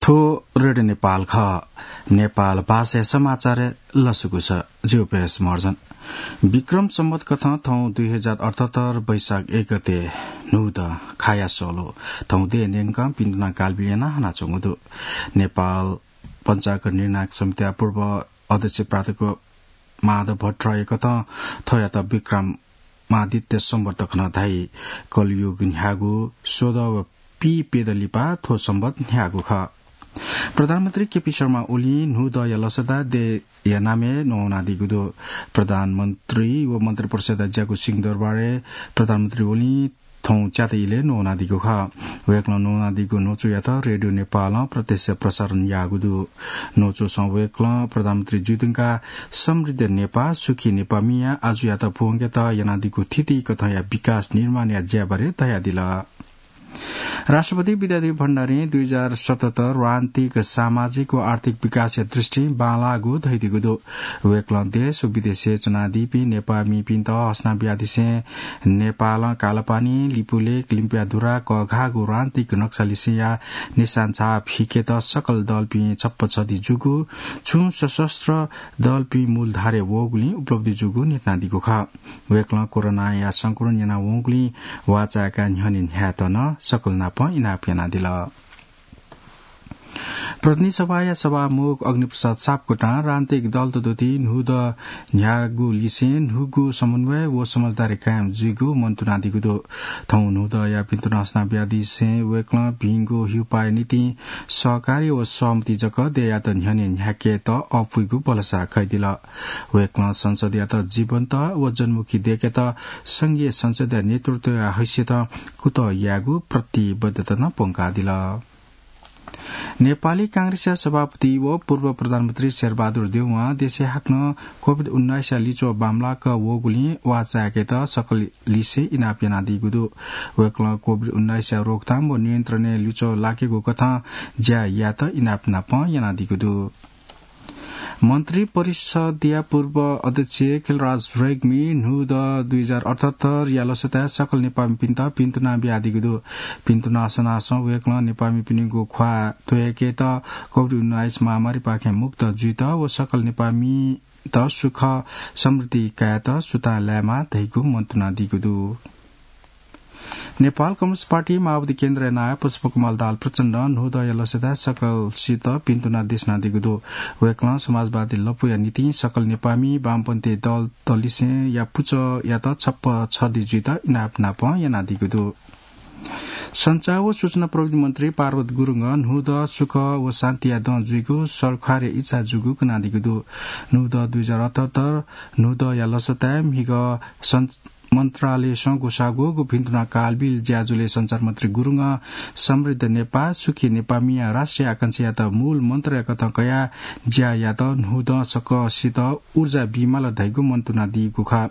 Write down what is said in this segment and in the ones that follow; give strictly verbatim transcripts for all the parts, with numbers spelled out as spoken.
थ्व रेडियो नेपाल खः। नेपाल भाषाया समाचार लसकुस। ज्यू पेश मर्जन। विक्रम सम्बत कथं थौं दुई हजार अठहत्तर वैशाख एक गते न्हूदँ खाया सोलो। थौं देय् न्यंकं पिन्तुना कालबिल याना हनाच्वंगु दु। नेपाल पञ्चाङ्ग निर्णायक समितिया पूर्व अध्यक्ष प्राध्यापक माधव भट्टराईकथं थ्वयात विक्रमादित्य सम्बत खँ धाइ। कलयुग न्ह्यागु स्वदँ व पीप्यदँ लिपा थ्व सम्बत न्ह्यागु खः। प्रधानमन्त्री केपी शर्मा ओलीं न्हूदँया लसताय् देय्‌या नामय् नवानादीगु दु। प्रधानमन्त्री व मन्त्रिपरिषदया ज्याकू सिंहदरबारय् प्रधानमन्त्री ओलीं थौं च्याता इलय् नवानादीगु खः। वय्‌कलं नवानादीगु न्वचुयात रेडियो नेपालं प्रत्यक्ष प्रसारण याःगु दु। न्वचुसं वय्‌कलं प्रधानमन्त्री जुइधुंकाः समृद्ध नेपाः, सुखी नेपाःमिया आजुयात पूवंकेत यानादीगु थीथी कथंया विकास निर्माणया ज्याबारे धयादिल। राष्ट्रपति विद्यादेवी भण्डारीं दुई हजार सतहत्तर वान्तिक सामाजिक व आर्थिक विकासया दृष्टिं बांलाःगु धयादीगु दु। वय्‌कलं देश व विदेशय् च्वनादीपिं नेपाःमिपिन्त हसना बियादिसें नेपालं कालापानी, लिपुलेख, लिम्पियाधुरा कःघाःगु रान्तिक नक्सालिसेंया निशान छाप हिकेत सकल दलपिं छप्पा छधी जूगु, छुं सशस्त्र दलपिं मूलधारय् वःगुलिं उपलब्धि जूगु न्ह्यथनादीगु खः। वय्‌कलं कोरोनाया संक्रमण यानावंगुलिं वाःचाय्‌काः न्ह्यःने न्ह्यायेत नं सकल नाप इनाप यानादिल। प्रतिनिधि सभाया सभामुख अग्निप्रसाद सापकोटां रान्तिक दलत दुति न्हूदँ न्ह्यागु लिसें न्हूगु समन्वय व समझदारी कायम जुइगु मन्तुनादीगु दु। थौं न्हूदँया पिन्तुना हसना बियादिसें वय्‌कलं भिंगु हिउपाःया निंतिं सहकार्य व सहमति जक देय्‌यात न्ह्यःने न्ह्याकेत अःपुइगु भलसा कयादिल। वय्‌कलं संसदयात जीवन्त व जनमुखी दय्‌केत संघीय संसदया नेतृत्वया हैसियतं कुतः यायेगु प्रतिबद्धता नं प्वंकादिल। नेपाली कांग्रेसया सभापति व पूर्व प्रधानमन्त्री शेरबहादुर देउवां देशय् हाकनं कोभिड उन्नाइसया लिच्वः बांमलाक वःगुलिं वाःचाय्‌केत सकल लिसे इनाप यानादीगु दु। वय्‌कलं कोभिड उन्नाइसया रोकथाम व नियन्त्रणय् लिच्वः लाकेगु कथं ज्या यायेत इनाप नाप यानादीगु दु। मन्त्रिपरिषदया पूर्व अध्यक्ष खिलराज रेग्मी न्हूदँ दुई हजार अठहत्तरया लसताय् सकल नेपाःमिपिन्त पिन्तुना बियादीगु दु। पिन्तुना हसनासं वय्‌कलं नेपाःमिपिनिगु ख्वाः त्वय्‌केत कोभिड उन्नाइस महामारीपाखें मुक्त जुइत व सकल नेपाःमित सुख समृद्धि कायेत सुथां लायेमा धइगु मन्तुनादीगु दु। नेपाल कम्युनिस्ट पार्टी माओवादी केन्द्रया नायः पुष्पकमल दाहाल प्रचण्डं न्हूदँया लसताय् सकलसित पिन्तुना देछानादीगु दु। वय्‌कलं समाजवादी लँपुया निंतिं सकल नेपाःमि वामपन्थी दलतलिसेंया पुचःयात छप्पा छधी जुइत इनाप नाप यानादीगु दु। सञ्चार व सूचना प्रविधि मन्त्री पार्वत गुरुङं न्हूदँ सुख व शान्तिया दँ जुइगु सरकारया इच्छा जूगु कनादीगु दु। न्हूदँ दुई हजार अठहत्तर न्हूदँया लसताय् म्हिगः सञ्च-, मन्त्रालयसं ग्वसाःगु पिन्तुना कालबिल ज्याझ्वलय् सञ्चार मन्त्री गुरुङं समृद्ध नेपाः, सुखी नेपाःमिया राष्ट्रिय आकांक्षायात मूल मन्त्रया कथं कयाः ज्या यात। न्हूदँ सकसित ऊर्जा बीमाल धइगु मन्तुनादीगु खः।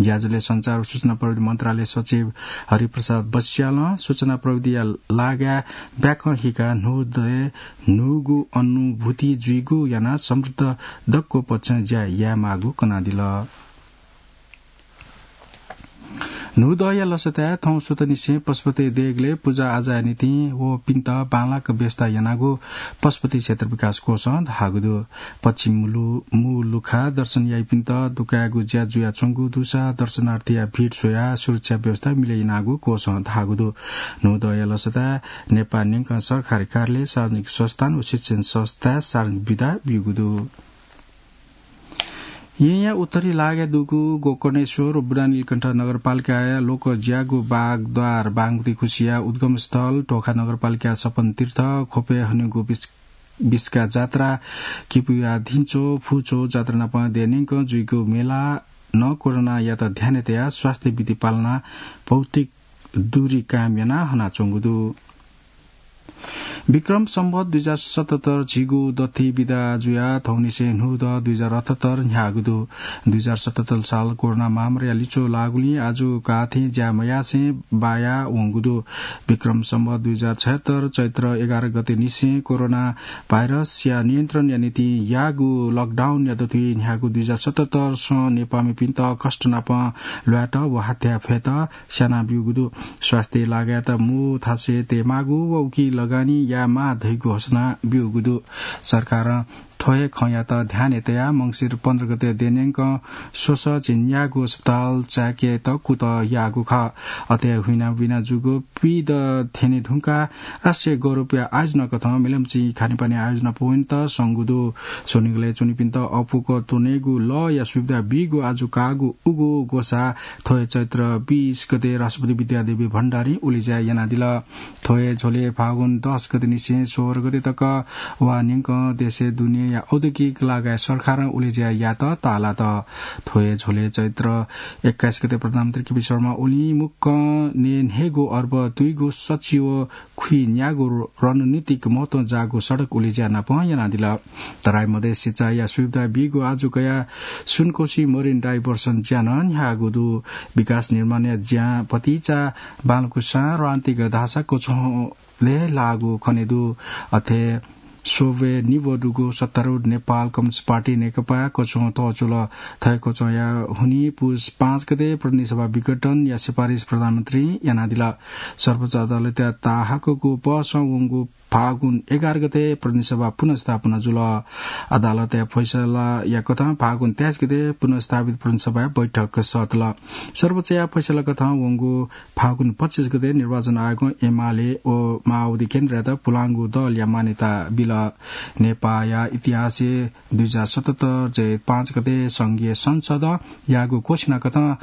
ज्याझ्वलय् सञ्चार व सूचना प्रविधि मन्त्रालय सचिव हरिप्रसाद बस्यालं सूचना प्रविधिया लागाय् ब्याकं हिकाः न्हूदँय् न्हूगु अनुभूति जुइगु यानाः समृद्ध दक्व पक्षं ज्या यायेमाःगु कनादिल। न्हूदँया लसताय् थौं सुथंनिसें पशुपति देगलय् पुजा आजाया निंतिं वःपिन्त बांलाक व्यवस्था यानागु पशुपति क्षेत्र विकास कोषं धाःगु दु। पश्चिम लु-, मू लुखा दर्शन याइपिन्त दुकायेगु ज्या जुयाच्वंगु दुसा दर्शनार्थीया भिड स्वयाः सुरक्षा व्यवस्था मिले यानागु कोषं धाःगु दु। न्हूदँया लसताय् नेपाः न्यंकं सरकारी कार्यालय, सार्वजनिक संस्थान व शिक्षण संस्थाय् सार्वजनिक बिदा ब्यूगु दु। येँया उत्तरी लागाय् दुगु गोकर्णेश्वर व बुढानीलकण्ठ नगरपालिकाया लोकज्यागु बागद्वार बागमती खुसिया उद्गम स्थल, टोखा नगरपालिकाया छप्पन तीर्थ, ख्वपय् हनेगु बिस-, बिस्का जात्रा, किपुया धिंच्वः, फुच्वः जात्रा नाप देय् न्यंकं जुइगु मेला नं कोरोनायात ध्यानय् तयाः स्वास्थ्य विधि पालना, भौतिक दूरी कायम यानाः हनाच्वंगु दु। विक्रम सम्बत दुई हजार सतहत्तर झिगू दथि बिदा जुयाः थौंनिसें न्हूदँ दुई हजार अठहत्तर न्ह्याःगु दु। दुई हजार सतहत्तर साल कोरोना महामारीया लिच्वः लाःगुलिं आजु काथें ज्या मयासें बाया वंगु दु। विक्रम सम्बत दुई हजार छयहत्तर चैत्र एघार गते निसें कोरोना भाइरसया नियन्त्रणया निंतिं याःगु लकडाउनया दथुइ न्ह्याःगु दुई हजार सतहत्तर सं नेपाःमिपिन्त कष्ट नाप ल्वायेत व हाथ्या फयेत स्यानाब्यूगु दु। स्वास्थ्य लागाय् मू थासय् तयेमाःगु व उकी लगानी माः धइगु घोषणा ब्यूगु दु। सरकारं थ्व हे खँयात ध्यानय् तयाः मंसिर पन्ध्र गते देन्यंकं स्वसः झिंन्यागू अस्पताल चाय्‌केत कुतः याःगु खः। अथे हुइनाबिना जूगु पीडा थ्यने धुंकाः राष्ट्रिय गौरवया आयोजना कथं मेलम्ची खानेपानी आयोजना यायेत संगु दु। स्वनिगलय् च्वनीपिन्त अःपुक त्वनेगु लःया सुविधा बीगु आजु काःगु उगु ग्वसाः थ्व हे चैत्र बीस गते राष्ट्रपति विद्यादेवी भण्डारीं उलेज्या यानादिल। थ्व हे झ्वलय् फागुन दस गते निसें सोह्र गते तक वा न्यंकं देशय् दुनेया औद्योगिक लागाय् सरकारं उलेज्या यायेत ताःलात। थ्व हे झ्वलय् चैत्र एक्काइस गते प्रधानमन्त्री केपी शर्मा ओलीं मुक्कं न्हय्‌न्हय्‌गू अर्ब दुइगु सच्छि व खुइन्यागू रणनीतिक महत्व जाःगु सडक उलेज्या नाप यानादिल। तराई मधेस सिँचाइया सुविधा बीगु आजु कयाः सुनकोशी मरिन डाइभर्सन ज्या नं न्ह्याःगु दु। विकास निर्माणया ज्यां भतिचा बांलाःगु सां रणनीतिक धाःसा कछों लय् लाःगु खने दु। अथे स्वब्वय् निब्व दुगु सत्तारूढ नेपाल कम्युनिस्ट पार्टी नेकपा कछों तःचुल। थथे कछोंया हुनिं पुस पाँच गते प्रतिनिधि सभा विघटनया सिफारिस प्रधानमन्त्रीं यानादिल। सर्वोच्च अदालतया ताहाकःगु पहसं वंगु फागुन एघार गते प्रतिनिधि सभा पुनर्स्थापना जुल। अदालतया फैसलाया कथं फागुन तेइस गते पुनर्स्थापित प्रतिनिधि सभाया बैठक सःतल। सर्वोच्चया फैसला कथं वंगु फागुन पच्चिस गते निर्वाचन आयोगं एमाले व माओवादी केन्द्रयात पुलांगु दलया मान्यता बिल। नेपाःया इतिहासय् दुई हजार सतहत्तर जेठ पाँच गते संघीय संसदं याःगु घोषणा कथं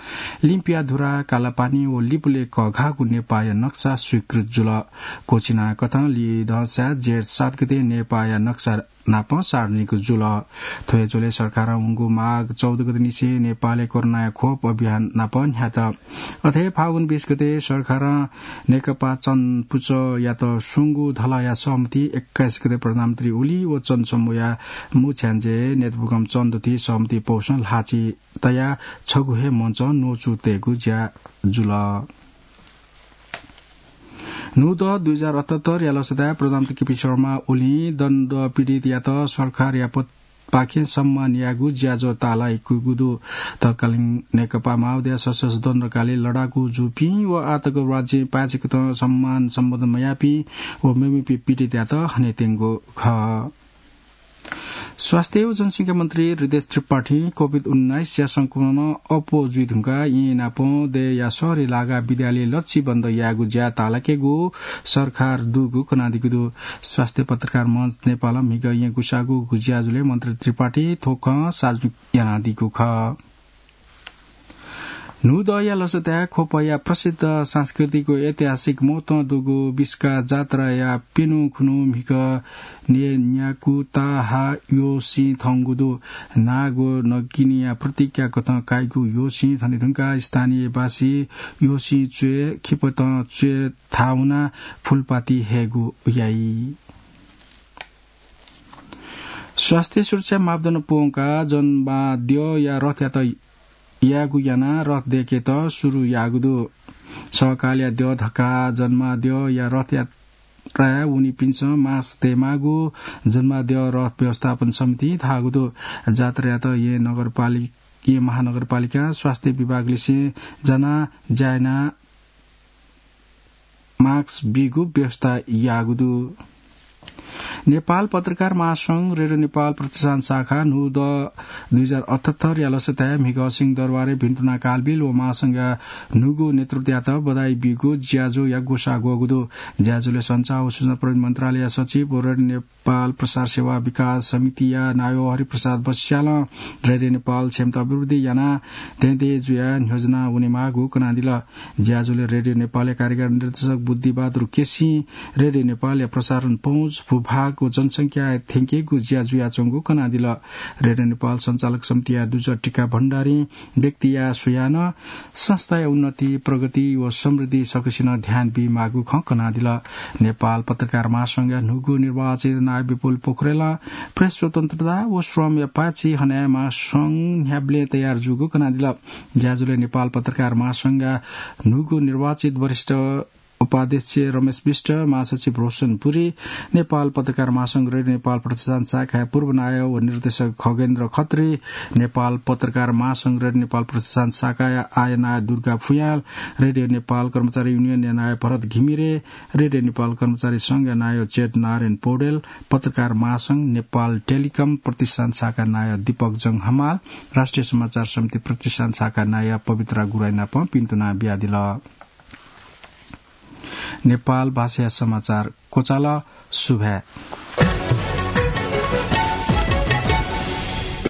लिम्पिया धुरा, कालापानी व लिपुलेख कःघाःगु नेपाःया नक्सा स्वीकृत जुल। घोषणा कथं लिधंसाय् जेठ सात गते नेपाःया नक्सा नाप सार्वजनिक जुल। थ्व हे झ्वलय् सरकारं वंगु माघ चौध गते निसें नेपालय् कोरोनाया खोप अभियान नाप न्ह्यात। अथे फागुन बीस गते सरकारं नेकपा चन पुचःयात स्वंगु धलाया सहमति एक्काइस गते प्रधानमन्त्री ओली व चन समूहया मुछ्याञ्जे नेतृपुगम चन दथुइ सहमति पौसं ल्हाःचिं तयाः छगू हे मञ्च न्वचु तयेगु ज्या जुल। न्हूदँ दुई हजार अठहत्तरया लसताय् प्रधानमन्त्री केपी शर्मा ओलीं दण्ड पीडितयात सरकारया पक्षपाखें सम्मान यायेगु ज्याझ्वः ताःलाइकूगु दु। तत्कालीन नेकपा माओवादीया सशस्त्र दण्डकालय् लडाकू जूपिं व आःतक राज्यं पाय्‌छि कथं सम्मान सम्बोधन मयाःपिं व मेमेपिं पीडितयात हनेत्यंगु खः। स्वास्थ्य व जनसंख्या मन्त्री हृदेश त्रिपाठीं कोभिड उन्नाइसया संक्रमणं अप्वः जुइ धुंकाः येँनापं दय्‌या शहरय् लागाः विद्यालय लच्छि बन्द यायेगु ज्या ताःलाकेगु सरकार दुगु कनादीगु दु। स्वास्थ्य पत्रकार मञ्च नेपालं म्हिगः येँ गुसाःगु ज्याझ्वलय् मन्त्री त्रिपाठीं थ्व खँ सार्वजनिक यानादीगु खः। न्हूदँया लसताय् ख्वपया प्रसिद्ध सांस्कृतिक व ऐतिहासिक महत्वं दुगु बिस्का जात्राया प्यन्हु खुन्हु म्हिगः न्यय्‌न्याकू ताहा यःसिं थंगु दु। नाग व नगिनिया प्रतीकया कथं काइगु यःसिं थने धुंकाः स्थानीयबासी यःसिं च्वय् खिपतं च्वय् थाहां वनाः फुलपाती हयेगु याइ। स्वास्थ्य सुरक्षा मापदण्ड प्वंकाः जन्माद्यःया रथयात यायेगु यानाः रथ दय्‌केत सुरु याःगु दु। सकलया द्यः धकाः जन्माद्यःया रथयात्राय् वनीपिन्सं मास्क तयेमाःगु जन्माद्यः रथ व्यवस्थापन समितिं धाःगु दु। जात्रायात येँ नगरपालि-, येँ महानगरपालिकां स्वास्थ्य विभागलिसें जानाः ज्या यानाः मास्क बीगु व्यवस्था याःगु दु। नेपाल पत्रकार महासंघ रेडियो नेपाल प्रतिष्ठान शाखा न्हूदँ दुई हजार अठहत्तरया लसताय् म्हिगः सिंहदरबारय् भिन्तुना कालबिल व महासंघया न्हूगु नेतृत्वयात बधाई बीगु ज्याझ्वःया ग्वसाः ग्वःगु दु। ज्याझ्वलय् सञ्चार व सूचना प्रविधि मन्त्रालयया सचिव व रेडियो नेपाल प्रसार सेवा विकास समितिया नायः हरिप्रसाद बस्यालं रेडियो नेपाल क्षमता अभिवृद्धि यानाः दँय्‌दँय् जुयाः न्ह्यज्वना वनेमाःगु कनादिल। ज्याझ्वलय् रेडियो नेपालया कार्यकारी निर्देशक बुद्धिबहादुर केसीं रेडियो नेपालया प्रसारण पहुँच, भूभाग व जनसंख्या थ्यंकेगु ज्या जुयाच्वंगु कनादिल। रेडियो नेपाल सञ्चालक समितिया दुजः टिका भण्डारीं व्यक्तिया स्वयां नं संस्थाया उन्नति, प्रगति व समृद्धि सकसिनं ध्यान बीमाःगु खँ कनादिल। नेपाल पत्रकार महासंघया न्हूगु निर्वाचित नायः विपुल पोखरेलं प्रेस स्वतन्त्रता व श्रमया पाय्‌छि हनाः महासंघ न्ह्याबलें तयार जूगु कनादिल। ज्याझ्वलय् नेपाल पत्रकार महासंघया न्हूगु निर्वाचित वरिष्ठ उपाध्यक्ष रमेश विष्ट, महासचिव रोशन पुरी, नेपाल पत्रकार महासंघ रेडियो नेपाल प्रतिष्ठान शाखाया पूर्व नायः व निर्देशक खगेन्द्र खत्री, नेपाल पत्रकार महासंघ रेडियो नेपाल प्रतिष्ठान शाखाया आया नायः दुर्गा फुयाल, रेडियो नेपाल कर्मचारी युनियनया नायः भरत घिमिरे, रेडियो नेपाल कर्मचारी संघया नायः चेत नारायण पौडेल, पत्रकार महासंघ नेपाल टेलिकम प्रतिष्ठान शाखा नायः दीपक जंग हमाल, राष्ट्रिय समाचार समिति प्रतिष्ठान शाखा नायः पवित्रा गुराइ नाप पिन्तुना बियादिल। नेपाल भाषाया समाचार क्वचाल। सुभाय्।